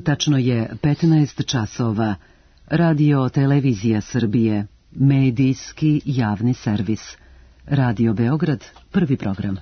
Tačno je 15 časova. Radio Televizija Srbije. Medijski javni servis. Radio Beograd, prvi program.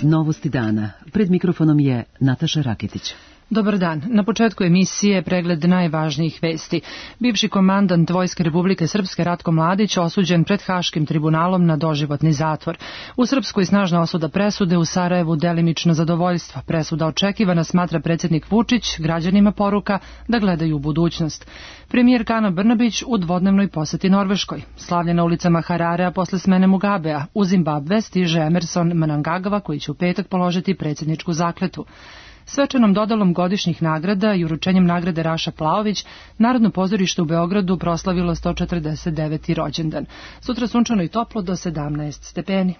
Novosti dana. Pred mikrofonom je Nataša Raketić. Dobar dan. Na početku emisije pregled najvažnijih vesti. Bivši komandant Vojske Republike Srpske Ratko Mladić osuđen pred Haškim tribunalom na doživotni zatvor. U Srpskoj snažna osuda presude, u Sarajevu delimično zadovoljstvo. Presuda očekivana, smatra predsjednik Vučić, građanima poruka da gledaju u budućnost. Premijer Ana Brnabić u dvodnevnoj poseti Norveškoj. Slavlje na ulicama Hararea posle smene Mugabea. U Zimbabve stiže Emerson Mnangagwa koji će u petak položiti predsjedničku zakletu. Svečanom dodalom godišnjih nagrada i uručenjem nagrade Raša Plaović, Narodno pozorište u Beogradu proslavilo 149. rođendan. Sutra sunčano i toplo do 17 stepeni.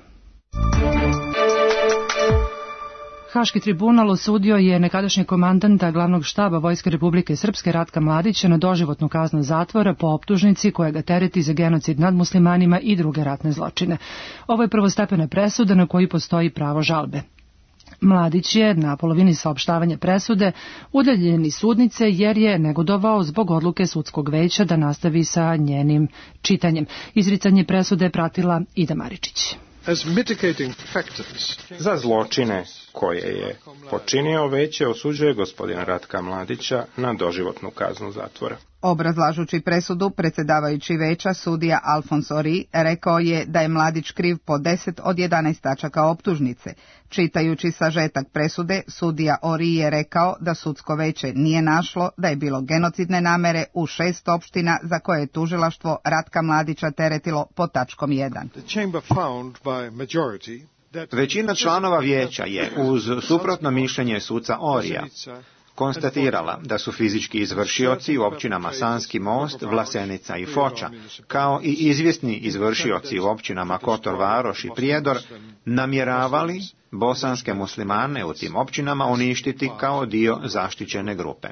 Haški tribunal osudio je nekadašnjeg komandanta glavnog štaba Vojske Republike Srpske Ratka Mladića na doživotnu kaznu zatvora po optužnici koja ga tereti za genocid nad muslimanima i druge ratne zločine. Ovo je prvostepena presuda na koju postoji pravo žalbe. Mladić je na polovini saopštavanja presude udaljen iz sudnice jer je negodovao zbog odluke sudskog veća da nastavi sa njenim čitanjem. Izricanje presude je pratila Ida Maričić. Za zločine koje je počinio veće osuđuje gospodina Ratka Mladića na doživotnu kaznu zatvora. Obrazlažući presudu, predsjedavajući veća sudija Alfons Ori rekao je da je Mladić kriv po 10 od 11 tačaka optužnice. Čitajući sažetak presude, sudija Ori je rekao da sudsko veće nije našlo da je bilo genocidne namere u 6 opština za koje je tužilaštvo Ratka Mladića teretilo po tačkom 1. Većina članova vijeća je, uz suprotno mišljenje suca Orija, konstatirala da su fizički izvršioci u općinama Sanski Most, Vlasenica i Foča, kao i izvjesni izvršioci u općinama Kotor Varoš i Prijedor, namjeravali bosanske muslimane u tim općinama uništiti kao dio zaštićene grupe.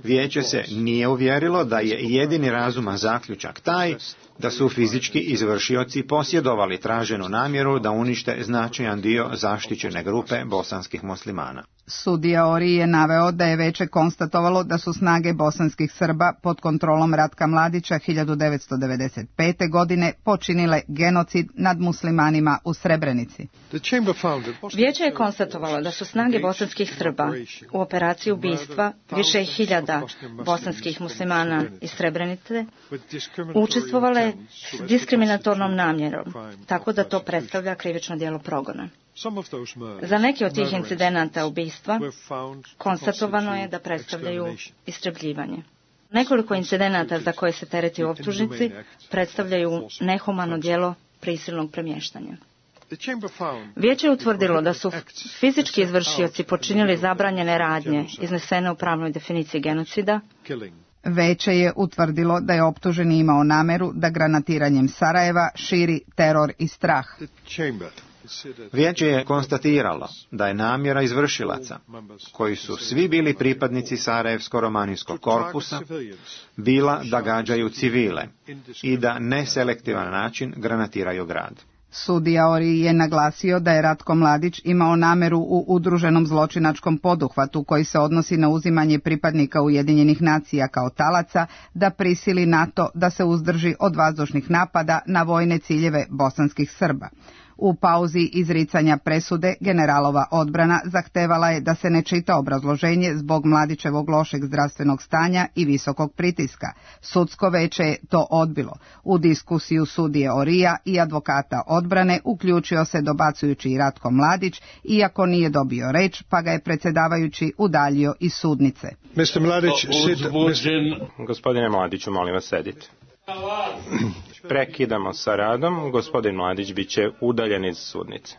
Vijeće se nije uvjerilo da je jedini razuman zaključak taj da su fizički izvršioci posjedovali traženu namjeru da unište značajan dio zaštićene grupe bosanskih muslimana. Sudija Ori je naveo da je veće konstatovalo da su snage bosanskih Srba pod kontrolom Ratka Mladića 1995. godine počinile genocid nad muslimanima u Srebrenici. Vijeće je konstatovalo da su snage bosanskih Srba u operaciji ubistva više hiljada bosanskih muslimana iz Srebrenice učestvovale s diskriminatornom namjerom, tako da to predstavlja krivično djelo progona. Za neke od tih incidenata ubistva konstatovano je da predstavljaju istrebljivanje. Nekoliko incidenata za koje se tereti u optužnici predstavljaju nehumano djelo prisilnog premještanja. Vijeće je utvrdilo da su fizički izvršioci počinili zabranjene radnje iznesene u pravnoj definiciji genocida. Veće je utvrdilo da je optuženi imao nameru da granatiranjem Sarajeva širi teror i strah. Vijeće je konstatiralo da je namjera izvršilaca, koji su svi bili pripadnici Sarajevsko-romanijskog korpusa, bila da gađaju civile i da neselektivan način granatiraju grad. Sudija Ori je naglasio da je Ratko Mladić imao nameru u udruženom zločinačkom poduhvatu koji se odnosi na uzimanje pripadnika Ujedinjenih nacija kao talaca da prisili NATO da se uzdrži od vazdušnih napada na vojne ciljeve bosanskih Srba. U pauzi izricanja presude generalova odbrana zahtevala je da se ne čita obrazloženje zbog Mladićevog lošeg zdravstvenog stanja i visokog pritiska. Sudsko veće je to odbilo. U diskusiju sudije Orija i advokata odbrane uključio se dobacujući i Ratko Mladić, iako nije dobio reč, pa ga je predsjedavajući udaljio iz sudnice. Gospodine Mladiću, molim vas, sedite. Prekidamo sa radom. Gospodin Mladić bit će udaljen iz sudnice.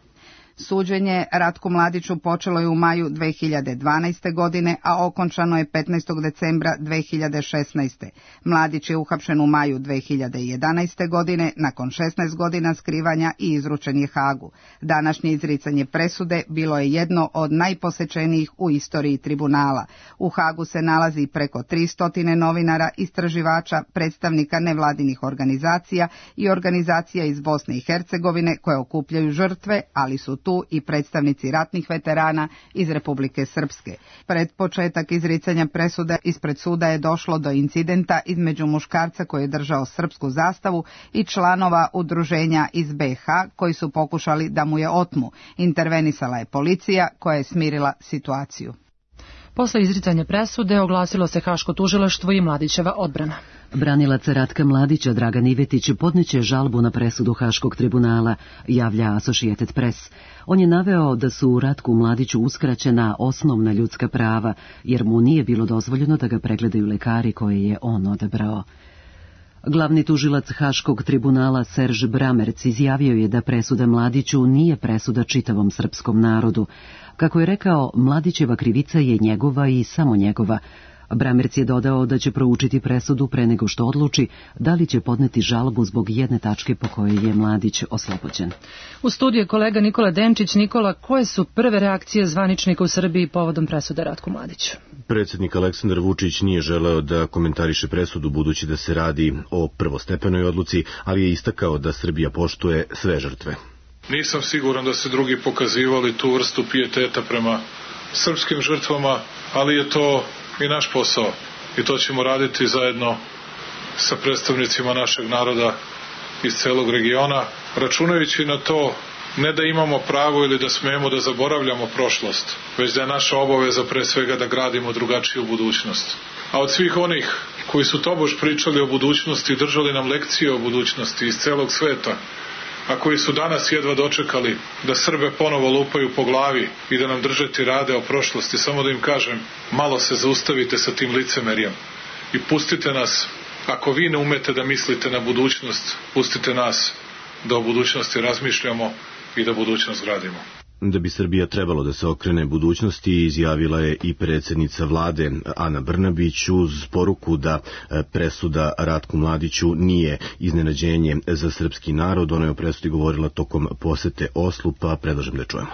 Suđenje Ratku Mladiću počelo je u maju 2012. godine, a okončano je 15. decembra 2016. Mladić je uhapšen u maju 2011. godine, nakon 16 godina skrivanja i izručen je Hagu. Današnje izricanje presude bilo je jedno od najposjećenijih u istoriji tribunala. U Hagu se nalazi preko 300 novinara, istraživača, predstavnika nevladinih organizacija i organizacija iz Bosne i Hercegovine koje okupljaju žrtve, ali su tu i predstavnici ratnih veterana iz Republike Srpske. Pred početak izricanja presude ispred suda je došlo do incidenta između muškarca koji je držao srpsku zastavu i članova udruženja iz BiH koji su pokušali da mu je otmu. Intervenisala je policija koja je smirila situaciju. Posle izricanja presude oglasilo se Haško tužilaštvo i Mladićeva odbrana. Branilac Ratka Mladića Dragan Ivetić podneće žalbu na presudu Haškog tribunala, javlja Associated Press. On je naveo da su Ratku Mladiću uskraćena osnovna ljudska prava, jer mu nije bilo dozvoljeno da ga pregledaju lekari koje je on odabrao. Glavni tužilac Haškog tribunala Serž Bramerc izjavio je da presuda Mladiću nije presuda čitavom srpskom narodu. Kako je rekao, Mladićeva krivica je njegova i samo njegova. Bramerc je dodao da će proučiti presudu pre nego što odluči da li će podneti žalbu zbog jedne tačke po kojoj je Mladić oslobođen. U studiju je kolega Nikola Denčić. Nikola, koje su prve reakcije zvaničnika u Srbiji povodom presude Ratku Mladiću? Predsjednik Aleksandar Vučić nije želeo da komentariše presudu budući da se radi o prvostepenoj odluci, ali je istakao da Srbija poštuje sve žrtve. Nisam siguran da se drugi pokazivali tu vrstu pijeteta prema srpskim žrtvama, ali je to i naš posao i to ćemo raditi zajedno sa predstavnicima našeg naroda iz celog regiona, računajući na to ne da imamo pravo ili da smemo da zaboravljamo prošlost, već da je naša obaveza pre svega da gradimo drugačiju budućnost. A od svih onih koji su tobož pričali o budućnosti i držali nam lekcije o budućnosti iz celog sveta, a koji su danas jedva dočekali da Srbe ponovo lupaju po glavi i da nam drže tirade o prošlosti, samo da im kažem, malo se zaustavite sa tim licemerjem i pustite nas, ako vi ne umete da mislite na budućnost, pustite nas da o budućnosti razmišljamo i da budućnost gradimo. Da bi Srbija trebalo da se okrene budućnosti, izjavila je i predsjednica vlade Ana Brnabić uz poruku da presuda Ratku Mladiću nije iznenađenje za srpski narod. Ona je o presudi govorila tokom posete Oslu, pa predlažem da čujemo.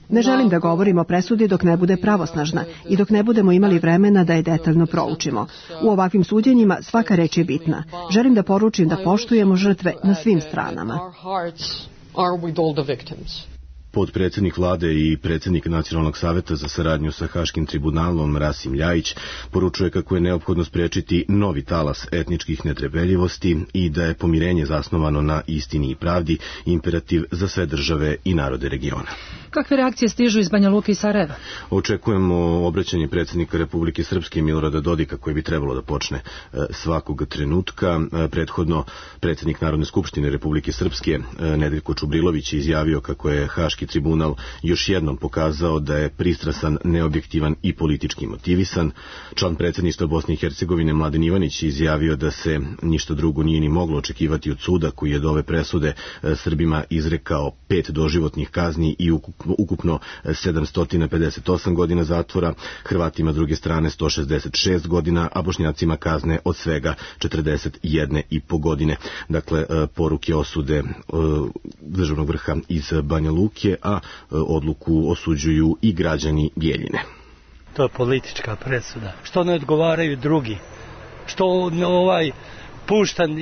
Ne želim da govorim o presudi dok ne bude pravosnažna i dok ne budemo imali vremena da je detaljno proučimo. U ovakvim suđenjima svaka reč je bitna. Želim da poručim da poštujemo žrtve na svim stranama. Potpredsjednik vlade i predsjednik Nacionalnog saveta za saradnju sa Haškim tribunalom Rasim Ljajić poručuje kako je neophodno spriječiti novi talas etničkih netrpeljivosti i da je pomirenje zasnovano na istini i pravdi imperativ za sve države i narode regiona. Kakve reakcije stižu iz Banja Luke i Sarajeva? Očekujemo obraćanje predsjednika Republike Srpske Milorada Dodika koje bi trebalo da počne svakog trenutka. Prethodno predsjednik Narodne skupštine Republike Srpske Nedeljko Čubrilović je izjavio kako je Haški tribunal još jednom pokazao da je pristrasan, neobjektivan i politički motivisan. Član predsjedništva Bosne i Hercegovine Mladen Ivanić je izjavio da se ništa drugo nije ni moglo očekivati od suda koji je do ove presude Srbima izrekao 5 doživotnih kazni i ukupno 758 godina zatvora, Hrvatima druge strane 166 godina, a Bošnjacima kazne od svega 41,5 godine. Dakle, poruke osude državnog vrha iz Banja Luke, a odluku osuđuju i građani Bjeljine. To je politička presuda. Što ne odgovaraju drugi? Što puštan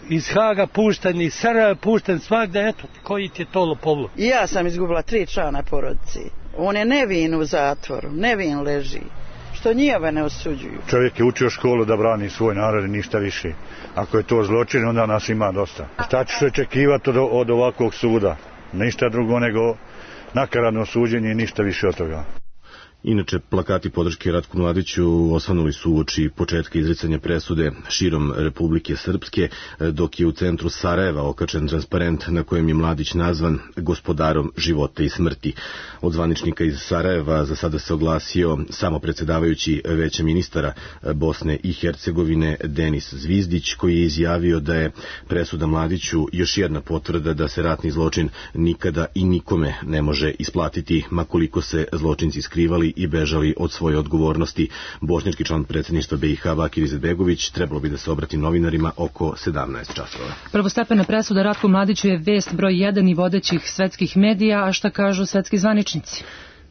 iz Haga, puštan iz Sarajeva, puštan svakda, eto, koji ti je to lopovluk? Ja sam izgubila 3 člana porodice. On je nevin u zatvoru, nevin leži. Što njihove ne osuđuju. Čovjek je učio školu da brani svoj narod i ništa više. Ako je to zločin, onda nas ima dosta. Šta ćeš očekivati od ovakvog suda? Ništa drugo nego nakaradno suđenje i ništa više od toga. Inače, plakati podrške Ratku Mladiću osvanuli su uoči početka izricanja presude širom Republike Srpske, dok je u centru Sarajeva okačen transparent na kojem je Mladić nazvan gospodarom života i smrti. Od zvaničnika iz Sarajeva za sada se oglasio samo predsjedavajući Veća ministara Bosne i Hercegovine Denis Zvizdić, koji je izjavio da je presuda Mladiću još jedna potvrda da se ratni zločin nikada i nikome ne može isplatiti, ma koliko se zločinci skrivali i bežali od svoje odgovornosti. Bošnjački član predsjedništva BiH Bakir Izetbegović trebalo bi da se obrati novinarima oko 17 časova. Prvostepena presuda Ratku Mladiću je vest broj 1 i vodećih svetskih medija, a šta kažu svetski zvaničnici?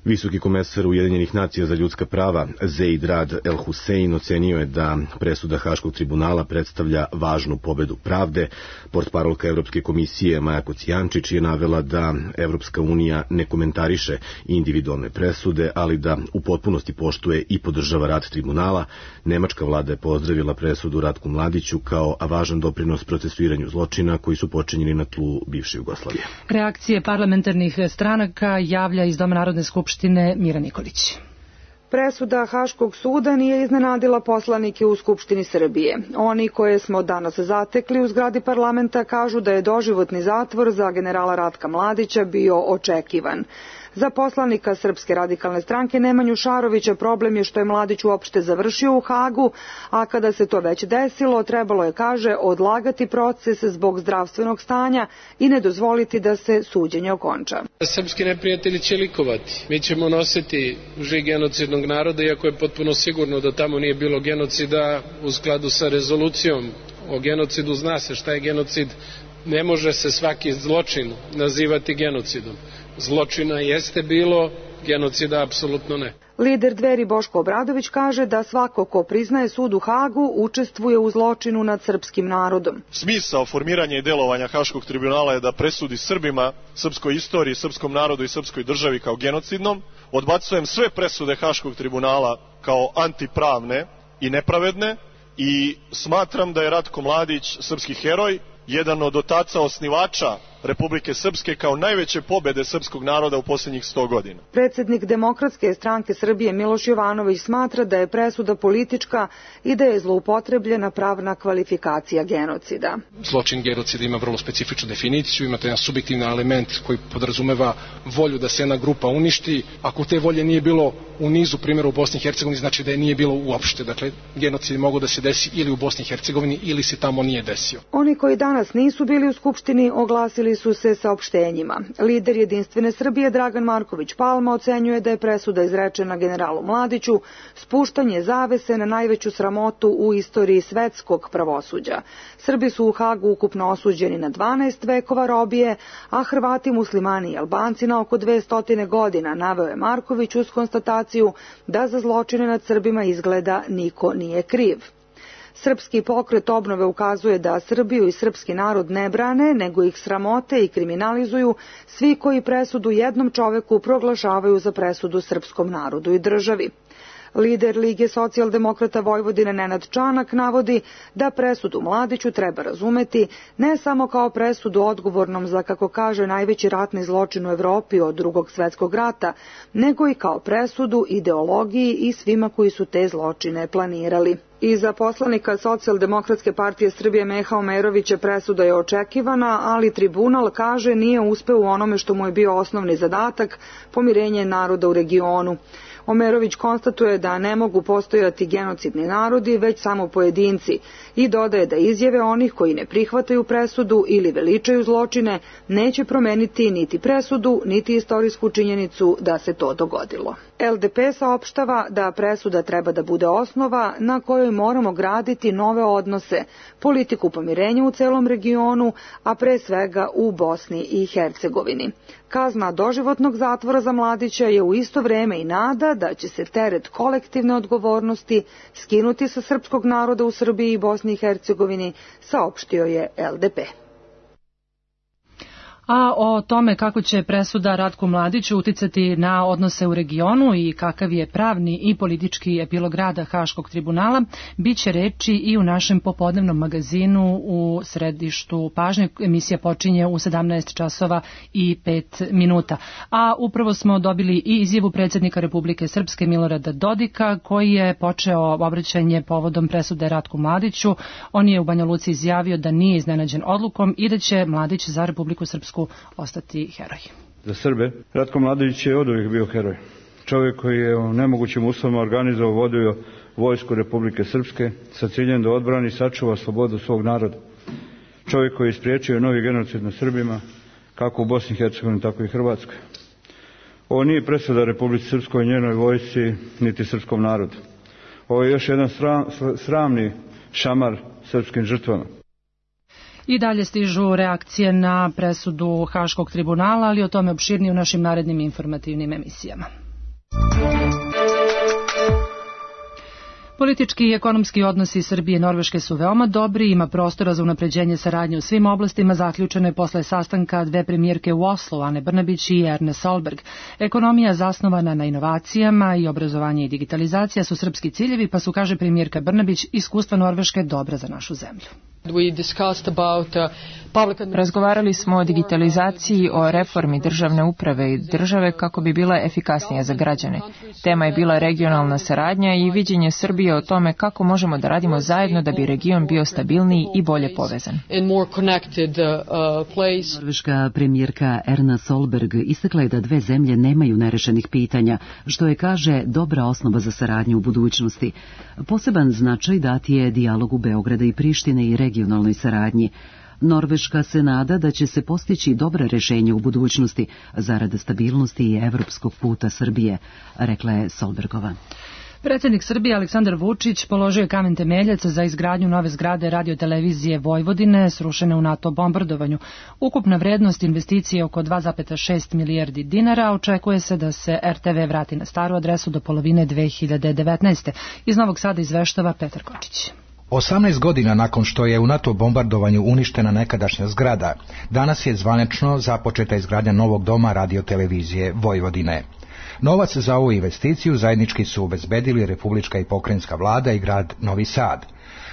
Visoki komesar Ujedinjenih nacija za ljudska prava Zeid Rad El Hussein ocenio je da presuda Haškog tribunala predstavlja važnu pobedu pravde. Portparolka Evropske komisije Maja Kocijančić je navela da Evropska unija ne komentariše individualne presude, ali da u potpunosti poštuje i podržava rad tribunala. Nemačka vlada je pozdravila presudu Ratku Mladiću kao važan doprinos procesuiranju zločina koji su počinjeni na tlu bivše Jugoslavije. Reakcije parlamentarnih stranaka javlja iz Doma Narodne skupštine Mira Nikolić. Presuda Haškog suda nije iznenadila poslanike u Skupštini Srbije. Oni koje smo danas zatekli u zgradi parlamenta kažu da je doživotni zatvor za generala Ratka Mladića bio očekivan. Za poslanika Srpske radikalne stranke Nemanju Šarovića problem je što je Mladić uopšte završio u Hagu, a kada se to već desilo, trebalo je, kaže, odlagati proces zbog zdravstvenog stanja i ne dozvoliti da se suđenje okonča. Srpski neprijatelji će likovati. Mi ćemo nositi žig genocidnog naroda, iako je potpuno sigurno da tamo nije bilo genocida u skladu sa rezolucijom o genocidu. Zna se šta je genocid. Ne može se svaki zločin nazivati genocidom. Zločina jeste bilo, genocida apsolutno ne. Lider Dveri Boško Obradović kaže da svako ko priznaje sud u Hagu učestvuje u zločinu nad srpskim narodom. Smisao formiranja i delovanja Haškog tribunala je da presudi Srbima, srpskoj istoriji, srpskom narodu i srpskoj državi kao genocidnom. Odbacujem sve presude Haškog tribunala kao antipravne i nepravedne i smatram da je Ratko Mladić srpski heroj, jedan od otaca osnivača Republike Srpske kao najveće pobede srpskog naroda u posljednjih 100 godina. Predsjednik Demokratske stranke Srbije Miloš Jovanović smatra da je presuda politička i da je zloupotrebljena pravna kvalifikacija genocida. Zločin genocida ima vrlo specifičnu definiciju, imate jedan subjektivni element koji podrazumeva volju da se jedna grupa uništi. Ako te volje nije bilo u nizu primjera u Bosni i Hercegovini, znači da je nije bilo uopšte. Dakle, genocid mogu da se desi ili u Bosni i Hercegovini ili se tamo nije desio. Oni koji danas nisu bili u Skupštini oglasili su se saopštenjima. Lider Jedinstvene Srbije Dragan Marković Palma ocenjuje da je presuda izrečena generalu Mladiću spuštanje zavese na najveću sramotu u istoriji svetskog pravosuđa. Srbi su u Hagu ukupno osuđeni na 12 vekova robije, a Hrvati, muslimani i Albanci na oko 200 godina, naveo je Marković uz konstataciju da za zločine nad Srbima izgleda niko nije kriv. Srpski pokret obnove ukazuje da Srbiju i srpski narod ne brane, nego ih sramote i kriminalizuju svi koji presudu jednom čoveku proglašavaju za presudu srpskom narodu i državi. Lider Lige socijaldemokrata Vojvodine Nenad Čanak navodi da presudu Mladiću treba razumeti ne samo kao presudu odgovornom za, kako kaže, najveći ratni zločin u Evropi od Drugog svjetskog rata, nego i kao presudu ideologiji i svima koji su te zločine planirali. I za poslanika Socijaldemokratske partije Srbije Meha Omerovića presuda je očekivana, ali tribunal, kaže, nije uspeo u onome što mu je bio osnovni zadatak, pomirenje naroda u regionu. Omerović konstatuje da ne mogu postojati genocidni narodi, već samo pojedinci, i dodaje da izjave onih koji ne prihvataju presudu ili veličaju zločine neće promeniti niti presudu, niti istorijsku činjenicu da se to dogodilo. LDP saopštava da presuda treba da bude osnova na kojoj moramo graditi nove odnose, politiku pomirenja u celom regionu, a pre svega u Bosni i Hercegovini. Kazna doživotnog zatvora za Mladića je u isto vreme i nada da će se teret kolektivne odgovornosti skinuti sa srpskog naroda u Srbiji i Bosni i Hercegovini, saopštio je LDP. A o tome kako će presuda Ratku Mladiću uticati na odnose u regionu i kakav je pravni i politički epilog rada Haškog tribunala, bit će reči i u našem popodnevnom magazinu u središtu pažnje. Emisija počinje u 17 časova i 5 minuta. A upravo smo dobili i izjavu predsjednika Republike Srpske Milorada Dodika, koji je počeo obraćanje povodom presude Ratku Mladiću. On je u Banja Luci izjavio da nije iznenađen odlukom i da će Mladić za Republiku Srpsku ostati heroj. Za Srbe Ratko Mladić je oduvijek bio heroj. Čovjek koji je u nemogućim uslovima organizovao, vodio vojsku Republike Srpske sa ciljem da odbrani i sačuva slobodu svog naroda. Čovjek koji je spriječio novi genocid nad Srbima, kako u Bosni i Hercegovini, tako i Hrvatskoj. Ovo nije presuda Republici Srpskoj, njenoj vojsci, niti srpskom narodu. Ovo je još jedan sramni šamar srpskim žrtvama. I dalje stižu reakcije na presudu Haškog tribunala, ali o tome opširnije u našim narednim informativnim emisijama. Politički i ekonomski odnosi Srbije i Norveške su veoma dobri, ima prostora za unapređenje saradnje u svim oblastima, zaključeno je posle sastanka dve premijerke u Oslu, Ane Brnabić i Erne Solberg. Ekonomija zasnovana na inovacijama i obrazovanje i digitalizacija su srpski ciljevi, pa su, kaže premijerka Brnabić, iskustva Norveške dobra za našu zemlju. Razgovarali smo o digitalizaciji, o reformi državne uprave i države kako bi bila efikasnija za građane. Tema je bila regionalna saradnja i viđenje Srbije o tome kako možemo da radimo zajedno da bi region bio stabilniji i bolje povezan. Norveška premijerka Erna Solberg istakla je da dve zemlje nemaju nerešenih pitanja, što je, kaže, dobra osnova za saradnju u budućnosti. Poseban značaj dat je dijalogu Beograda i Prištine i regionalnoj saradnji. Norveška se nada da će se postići dobra rešenja u budućnosti zarad stabilnosti i evropskog puta Srbije, rekla je Solbergova. Predsjednik Srbije Aleksandar Vučić položio je kamen temeljac za izgradnju nove zgrade radiotelevizije Vojvodine srušene u NATO bombardovanju. Ukupna vrednost investicije je oko 2,6 milijardi dinara. Očekuje se da se RTV vrati na staru adresu do polovine 2019. Iz Novog Sada izveštava Petar Kočić. 18 godina nakon što je u NATO bombardovanju uništena nekadašnja zgrada, danas je zvanično započeta izgradnja novog doma radiotelevizije Vojvodine. Novac za ovu investiciju zajednički su obezbedili Republička i pokrajinska vlada i grad Novi Sad.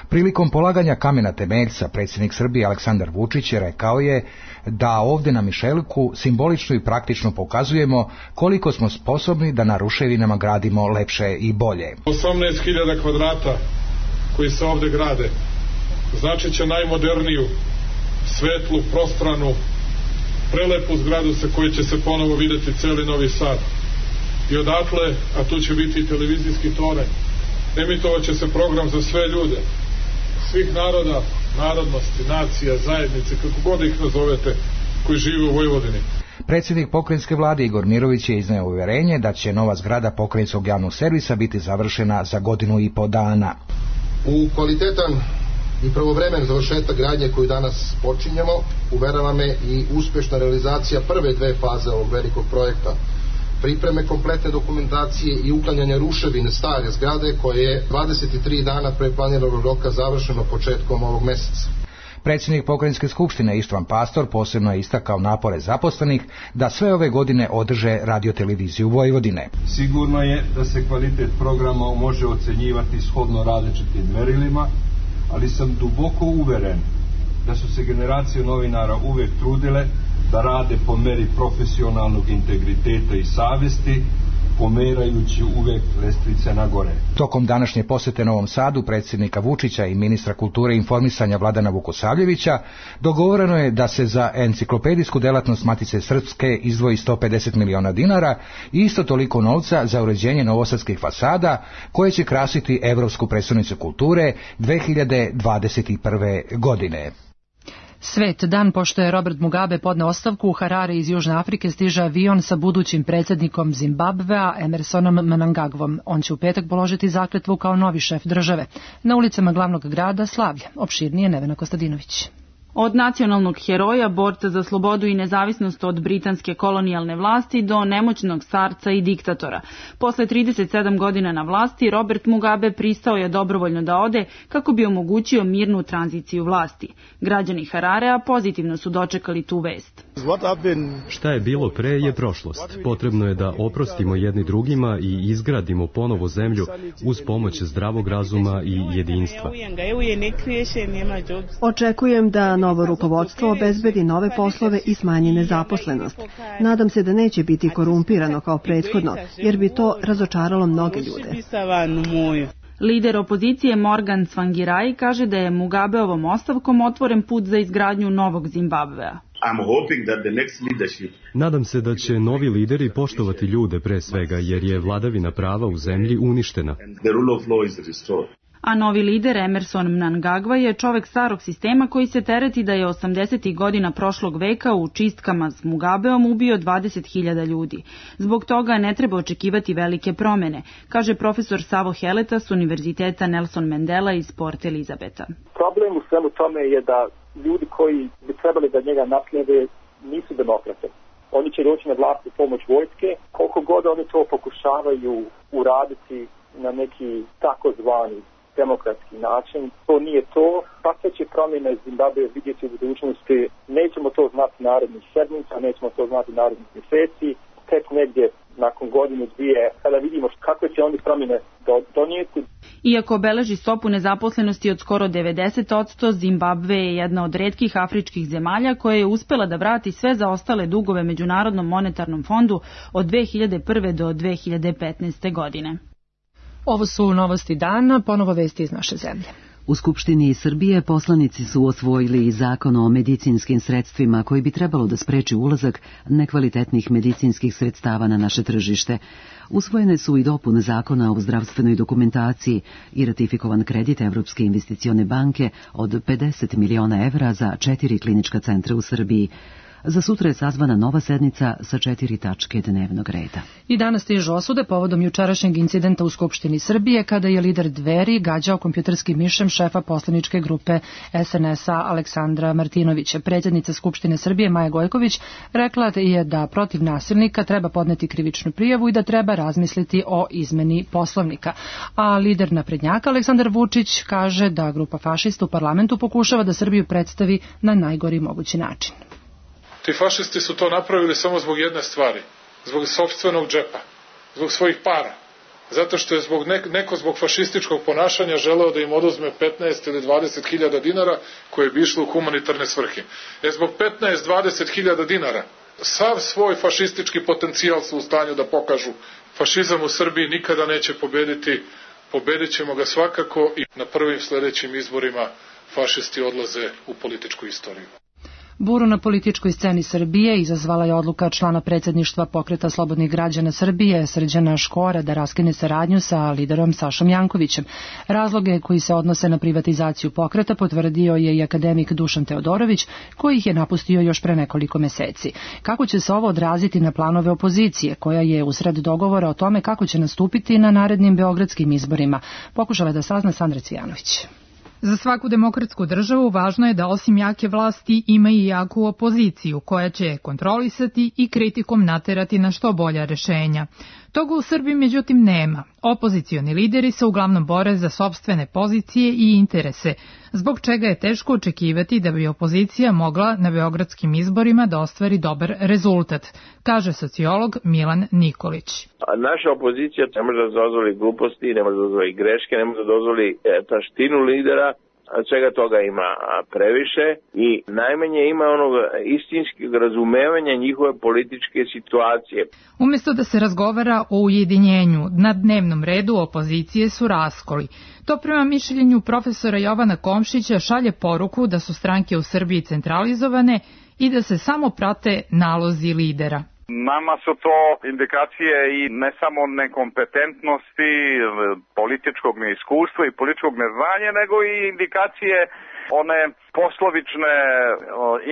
Prilikom polaganja kamena temeljca predsjednik Srbije Aleksandar Vučić rekao je da ovdje na Mišeluku simbolično i praktično pokazujemo koliko smo sposobni da na ruševinama gradimo lepše i bolje. 18.000 kvadrata koji se ovdje grade znači će najmoderniju, svetlu, prostranu, prelepu zgradu sa koje će se ponovo vidjeti celi Novi Sad. I odatle, a tu će biti i televizijski toranj, emitovat će se program za sve ljude, svih naroda, narodnosti, nacija, zajednice, kako god ih nazovete, koji žive u Vojvodini. Predsjednik pokrajinske vlade Igor Mirović je izneo uvjerenje da će nova zgrada pokrajinskog javnog servisa biti završena za 1,5 godina. U kvalitetan i pravovremen završetak gradnje koju danas počinjemo uverava me i uspješna realizacija prve dve faze ovog velikog projekta, pripreme kompletne dokumentacije i uklanjanja ruševine stare zgrade koje je 23 dana pre planiranog roka završeno početkom ovog meseca. Predsjednik pokrajinske skupštine Ištvan Pastor posebno je istakao napore zaposlenih da sve ove godine održe radioteleviziju Vojvodine. Sigurno je da se kvalitet programa može ocenjivati shodno različitim merilima, ali sam duboko uveren da su se generacije novinara uvek trudile da rade po meri profesionalnog integriteta i savesti, pomerajući uvek lestvice na gore. Tokom današnje posjete Novom Sadu predsjednika Vučića i ministra kulture i informisanja Vladana Vukosavljevića dogovoreno je da se za enciklopedijsku delatnost Matice Srpske izdvoji 150 miliona dinara i isto toliko novca za uređenje novosadskih fasada koje će krasiti Evropsku prestonicu kulture 2021. godine. Svet dan pošto je Robert Mugabe podneo ostavku, u Harare iz Južne Afrike stiže avion sa budućim predsjednikom Zimbabvea Emersonom Mnangagvom. On će u petak položiti zakletvu kao novi šef države. Na ulicama glavnog grada slavlje. Opširnije Nevena Kostadinović. Od nacionalnog heroja, borca za slobodu i nezavisnost od britanske kolonijalne vlasti do nemoćnog starca i diktatora. Posle 37 godina na vlasti, Robert Mugabe pristao je dobrovoljno da ode kako bi omogućio mirnu tranziciju vlasti. Građani Hararea pozitivno su dočekali tu vest. Šta je bilo pre je prošlost. Potrebno je da oprostimo jedni drugima i izgradimo ponovo zemlju uz pomoć zdravog razuma i jedinstva. Očekujem da novo rukovodstvo obezbedi nove poslove i smanji nezaposlenost. Nadam se da neće biti korumpirano kao prethodno, jer bi to razočaralo mnoge ljude. Lider opozicije Morgan Tsvangirai kaže da je Mugabeovom ostavkom otvoren put za izgradnju novog Zimbabvea. Nadam se da će novi lideri poštovati ljude pre svega, jer je vladavina prava u zemlji uništena. A novi lider Emerson Mnangagwa je čovek starog sistema koji se tereti da je 80. godina prošlog veka u čistkama s Mugabeom ubio 20.000 ljudi. Zbog toga ne treba očekivati velike promene, kaže profesor Savo Heleta s Univerziteta Nelson Mandela iz Port Elizabeta. Problem u svemu tome je da ljudi koji bi trebali da njega naslijede nisu demokrate. oni će doći na vlast u pomoć vojske, koliko god oni to pokušavaju uraditi na neki takozvani demokratski način, to nije to. Kakve će promjene Zimbabwe vidjeti u budućnosti, nećemo to znati narednih sedmica, nećemo to znati narednih mjeseci, tek negdje nakon godinu, dvije, kada vidimo kakve će oni promjene donijeti. Iako beleži stopu nezaposlenosti od skoro 90%, Zimbabwe je jedna od retkih afričkih zemalja koja je uspela da vrati sve zaostale dugove Međunarodnom monetarnom fondu od 2001. do 2015. godine. Ovo su novosti dana, ponovo vesti iz naše zemlje. U Skupštini Srbije poslanici su osvojili i zakon o medicinskim sredstvima koji bi trebalo da spreči ulazak nekvalitetnih medicinskih sredstava na naše tržište. Usvojene su i dopune zakona o zdravstvenoj dokumentaciji i ratifikovan kredit Evropske investicione banke od 50 miliona evra za 4 klinička centra u Srbiji. Za sutra je sazvana nova sednica sa 4 tačke dnevnog reda. I danas stižu osude povodom jučerašnjeg incidenta u Skupštini Srbije kada je lider Dveri gađao kompjuterskim mišem šefa poslaničke grupe SNS-a Aleksandra Martinovića. Predsjednica Skupštine Srbije Maja Gojković rekla je da protiv nasilnika treba podneti krivičnu prijavu i da treba razmisliti o izmeni Poslovnika. A lider naprednjaka Aleksandar Vučić kaže da grupa fašista u parlamentu pokušava da Srbiju predstavi na najgori mogući način. Ti fašisti su to napravili samo zbog jedne stvari, zbog sopstvenog džepa, zbog svojih para. Zato što je neko zbog fašističkog ponašanja želeo da im oduzme 15 ili 20 hiljada dinara koje bi išlo u humanitarne svrhe. Zbog 15-20 hiljada dinara sav svoj fašistički potencijal su u stanju da pokažu. Fašizam u Srbiji nikada neće pobediti, pobedit ćemo ga svakako i na prvim sljedećim izborima fašisti odlaze u političku istoriju. Buru na političkoj sceni Srbije izazvala je odluka člana predsjedništva Pokreta slobodnih građana Srbije Srđana Škora da raskine saradnju sa liderom Sašom Jankovićem. Razloge koji se odnose na privatizaciju pokreta potvrdio je i akademik Dušan Teodorović, koji ih je napustio još pre nekoliko meseci. Kako će se ovo odraziti na planove opozicije, koja je usred dogovora o tome kako će nastupiti na narednim beogradskim izborima, pokušala je da sazna Sandra Cvijanović. Za svaku demokratsku državu važno je da osim jake vlasti ima i jaku opoziciju koja će kontrolisati i kritikom naterati na što bolja rešenja. Toga u Srbiji međutim nema. Opozicioni lideri se uglavnom bore za sopstvene pozicije i interese, zbog čega je teško očekivati da bi opozicija mogla na beogradskim izborima da ostvari dobar rezultat, kaže sociolog Milan Nikolić. Naša opozicija ne može da dozvoli gluposti, ne može da dozvoli greške, ne može da dozvoli taštinu lidera, svega toga ima previše i najmanje ima onog istinskog razumevanja njihove političke situacije. Umjesto da se razgovara o ujedinjenju, na dnevnom redu opozicije su raskoli. To prema mišljenju profesora Jovana Komšića šalje poruku da su stranke u Srbiji centralizovane i da se samo prate nalozi lidera. Nama su to indikacije i ne samo nekompetentnosti, političkog neiskustva i političkog neznanja, nego i indikacije one poslovične,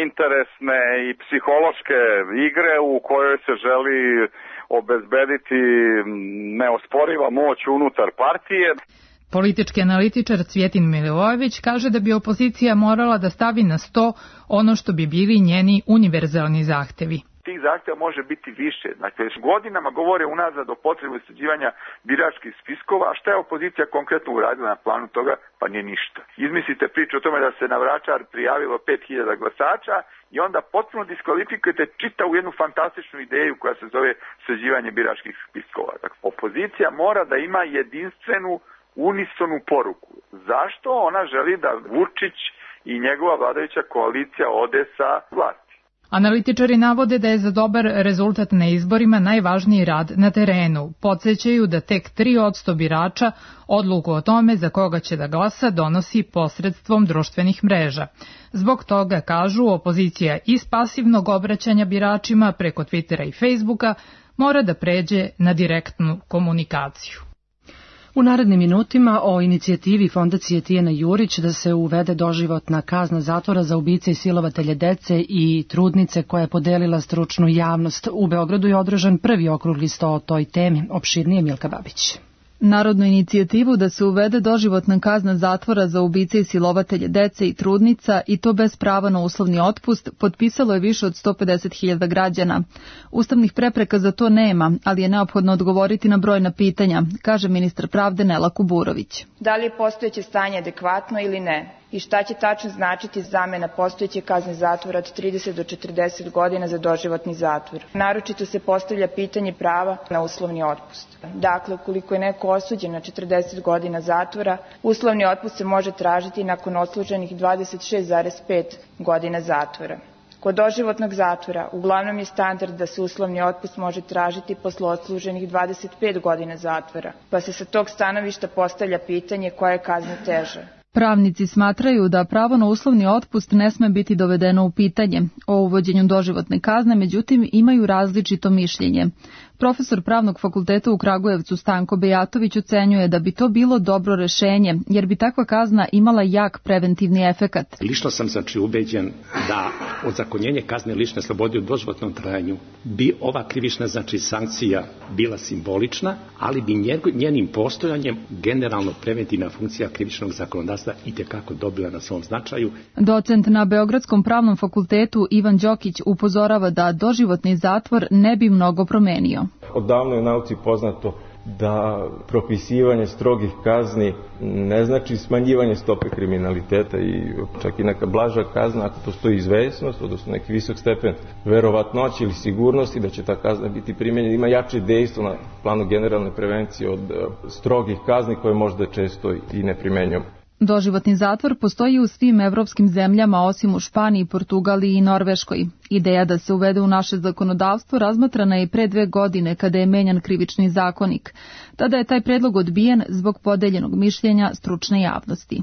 interesne i psihološke igre u kojoj se želi obezbediti neosporiva moć unutar partije. Politički analitičar Cvjetin Milivojević kaže da bi opozicija morala da stavi na sto ono što bi bili njeni univerzalni zahtevi. Tih zahtjeva može biti više. Dakle, godinama govore unazad o potrebu sređivanja biračkih spiskova, a šta je opozicija konkretno uradila na planu toga? Pa nije ništa. Izmislite priču o tome da se na Vračar prijavilo 5000 glasača i onda potpuno diskvalifikujete čitavu jednu fantastičnu ideju koja se zove sređivanje biračkih spiskova. Dakle, opozicija mora da ima jedinstvenu unisonu poruku. Zašto ona želi da Vučić i njegova vladajuća koalicija ode sa vlasti? Analitičari navode da je za dobar rezultat na izborima najvažniji rad na terenu. Podsećaju da tek 3% birača odluku o tome za koga će da glasa donosi posredstvom društvenih mreža. Zbog toga, kažu, opozicija iz pasivnog obraćanja biračima preko Twittera i Facebooka mora da pređe na direktnu komunikaciju. U narednim minutima o inicijativi Fondacije Tijana Jurić da se uvede doživotna kazna zatvora za ubice i silovatelje dece i trudnice koja je podelila stručnu javnost. U Beogradu je održan prvi okrugli sto o toj temi. Opširnije Milka Babić. Narodnu inicijativu da se uvede doživotna kazna zatvora za ubice i silovatelje dece i trudnica i to bez prava na uslovni otpust potpisalo je više od 150.000 građana. Ustavnih prepreka za to nema, ali je neophodno odgovoriti na brojna pitanja, kaže ministar pravde Nela Kuburović. Da li je postojeće stanje adekvatno ili ne? I šta će tačno značiti zamena postojeće kazne zatvora od 30 do 40 godina za doživotni zatvor? Naročito se postavlja pitanje prava na uslovni otpust. Dakle, ukoliko je neko osuđen na 40 godina zatvora, uslovni otpust se može tražiti nakon odsluženih 26,5 godina zatvora. Kod doživotnog zatvora uglavnom je standard da se uslovni otpust može tražiti posle odsluženih 25 godina zatvora, pa se sa tog stanovišta postavlja pitanje koja je kazna teža. Pravnici smatraju da pravo na uslovni otpust ne sme biti dovedeno u pitanje. O uvođenju doživotne kazne, međutim, imaju različito mišljenje. Profesor Pravnog fakulteta u Kragujevcu Stanko Bejatović ocenjuje da bi to bilo dobro rešenje, jer bi takva kazna imala jak preventivni efekat. Lično sam ubeđen da ozakonjenje kazne lične slobode u doživotnom trajanju bi ova krivična sankcija bila simbolična, ali bi njenim postojanjem generalno preventivna funkcija krivičnog zakonodavstva itekako dobila na svom značaju. Docent na Beogradskom Pravnom fakultetu Ivan Đokić upozorava da doživotni zatvor ne bi mnogo promenio. Odavno je u nauci poznato da propisivanje strogih kazni ne znači smanjivanje stope kriminaliteta i čak i neka blaža kazna ako postoji izvesnost, odnosno neki visok stepen verovatnoće ili sigurnosti da će ta kazna biti primenjena, ima jače dejstvo na planu generalne prevencije od strogih kazni koje možda često i ne primenjujemo. Doživotni zatvor postoji u svim evropskim zemljama osim u Španiji, Portugaliji i Norveškoj. Ideja da se uvede u naše zakonodavstvo razmatrana je pre 2 godine kada je menjan krivični zakonik. Tada je taj predlog odbijen zbog podeljenog mišljenja stručne javnosti.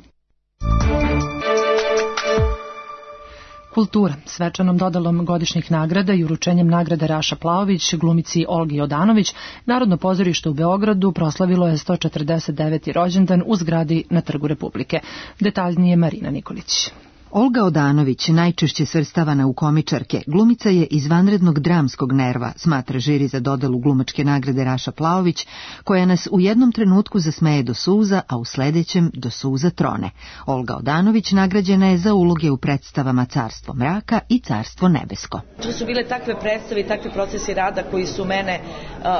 Kultura. Svečanom dodalom godišnjih nagrada i uručenjem nagrade Raša Plaović, glumici Olgi Odanović, Narodno pozorište u Beogradu proslavilo je 149. rođendan u zgradi na Trgu Republike. Detaljnije Marina Nikolić. Olga Odanović, najčešće svrstavana u komičarke, glumica je izvanrednog dramskog nerva, smatra žiri za dodelu glumačke nagrade Raša Plaović, koja nas u jednom trenutku zasmeje do suza, a u sledećem do suza trone. Olga Odanović nagrađena je za uloge u predstavama Carstvo mraka i Carstvo nebesko. To su bile takve predstave i takvi procesi rada koji su mene,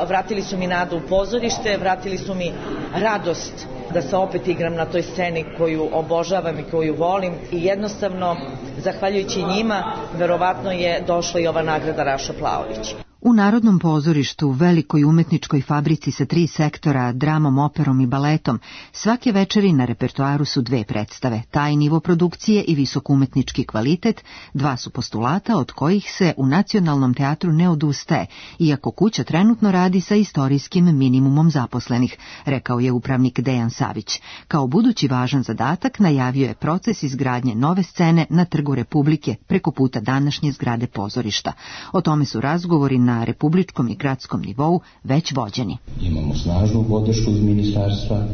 vratili su mi nadu u pozorište, vratili su mi radost da se opet igram na toj sceni koju obožavam i koju volim i jednostavno, zahvaljujući njima, verovatno je došla i ova nagrada Raša Plaović. U Narodnom pozorištu, velikoj umetničkoj fabrici sa 3 sektora, dramom, operom i baletom, svake večeri na repertoaru su 2 predstave, taj nivo produkcije i visok umetnički kvalitet, 2 su postulata od kojih se u Nacionalnom teatru ne odustaje, iako kuća trenutno radi sa istorijskim minimumom zaposlenih, rekao je upravnik Dejan Savić. Kao budući važan zadatak najavio je proces izgradnje nove scene na Trgu Republike preko puta današnje zgrade pozorišta. O tome su razgovori na republičkom i gradskom nivou već vođeni. Imamo snažnu podršku iz ministarstva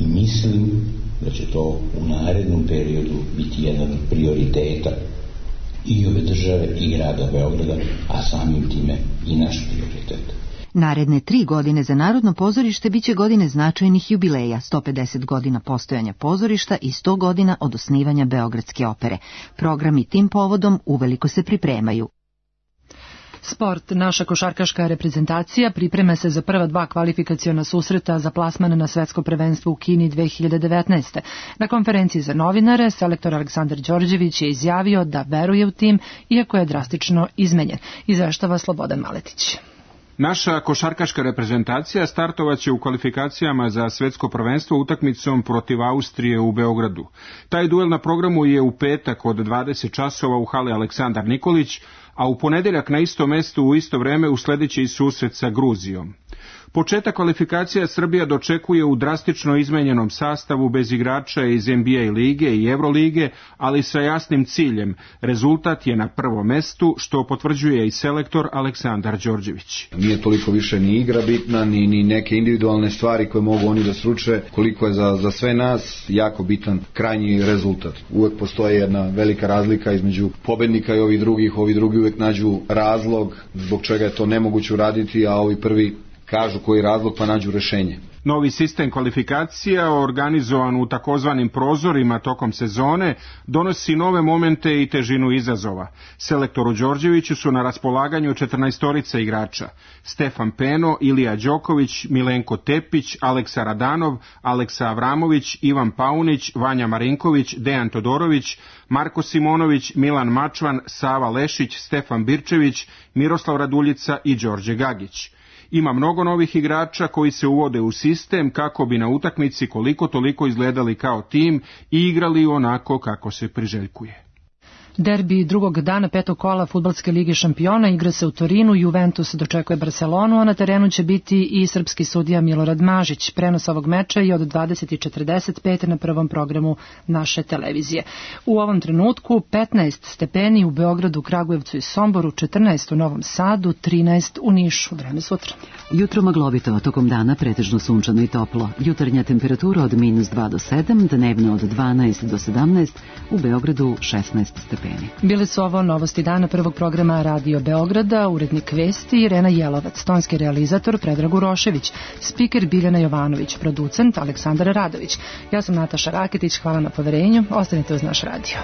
i mislim da će to u narednom periodu biti jedan od prioriteta i ove države i grada Beograda, a samim time i naš prioritet. Naredne 3 godine za Narodno pozorište biće godine značajnih jubileja, 150 godina postojanja pozorišta i 100 godina od osnivanja Beogradske opere. Programi tim povodom uveliko se pripremaju. Sport. Naša košarkaška reprezentacija priprema se za prva 2 kvalifikaciona susreta za plasman na svetsko prvenstvo u Kini 2019. Na konferenciji za novinare selektor Aleksandar Đorđević je izjavio da veruje u tim, iako je drastično izmenjen. Izveštava Slobodan Maletić. Naša košarkaška reprezentacija startovaće u kvalifikacijama za svetsko prvenstvo utakmicom protiv Austrije u Beogradu. Taj duel na programu je u petak od 20 časova u hali Aleksandar Nikolić, a u ponedeljak na istom mestu u isto vreme usledeće i susret sa Gruzijom. Početak kvalifikacija Srbija dočekuje u drastično izmenjenom sastavu bez igrača iz NBA lige i Evrolige, ali sa jasnim ciljem. Rezultat je na prvom mestu, što potvrđuje i selektor Aleksandar Đorđević. Nije toliko više ni igra bitna, ni neke individualne stvari koje mogu oni da sruče, koliko je za sve nas jako bitan krajnji rezultat. Uvek postoji jedna velika razlika između pobednika i ovih drugi uvek nađu razlog zbog čega je to nemoguće uraditi, a ovi prvi kažu koji razlog pa nađu rešenje. Novi sistem kvalifikacija, organizovan u takozvanim prozorima tokom sezone, donosi nove momente i težinu izazova. Selektoru Đorđeviću su na raspolaganju 14 igrača: Stefan Peno, Ilija Đoković, Milenko Tepić, Aleksa Radanov, Aleksa Avramović, Ivan Paunić, Vanja Marinković, Dejan Todorović, Marko Simonović, Milan Mačvan, Sava Lešić, Stefan Birčević, Miroslav Raduljica i Đorđe Gagić. Ima mnogo novih igrača koji se uvode u sistem kako bi na utakmici koliko toliko izgledali kao tim i igrali onako kako se priželjkuje. Derbi drugog dana petog kola Fudbalske lige šampiona igra se u Torinu, Juventus dočekuje Barcelonu, a na terenu će biti i srpski sudija Milorad Mažić. Prenos ovog meča je od 20:45 na prvom programu naše televizije. U ovom trenutku 15 stepeni u Beogradu, Kragujevcu i Somboru, 14 u Novom Sadu, 13 u Nišu. Vreme sutra. Jutro maglovito, tokom dana pretežno sunčano i toplo. Jutarnja temperatura od -2 do 7, dnevna od 12 do 17, u Beogradu 16 stepeni. Bile su ovo novosti dana prvog programa Radio Beograda, urednik vesti Irena Jelovac, tonski realizator Predrag Urošević, spiker Biljana Jovanović, producent Aleksandar Radović. Ja sam Nataša Raketić, hvala na poverenju, ostanite uz naš radio.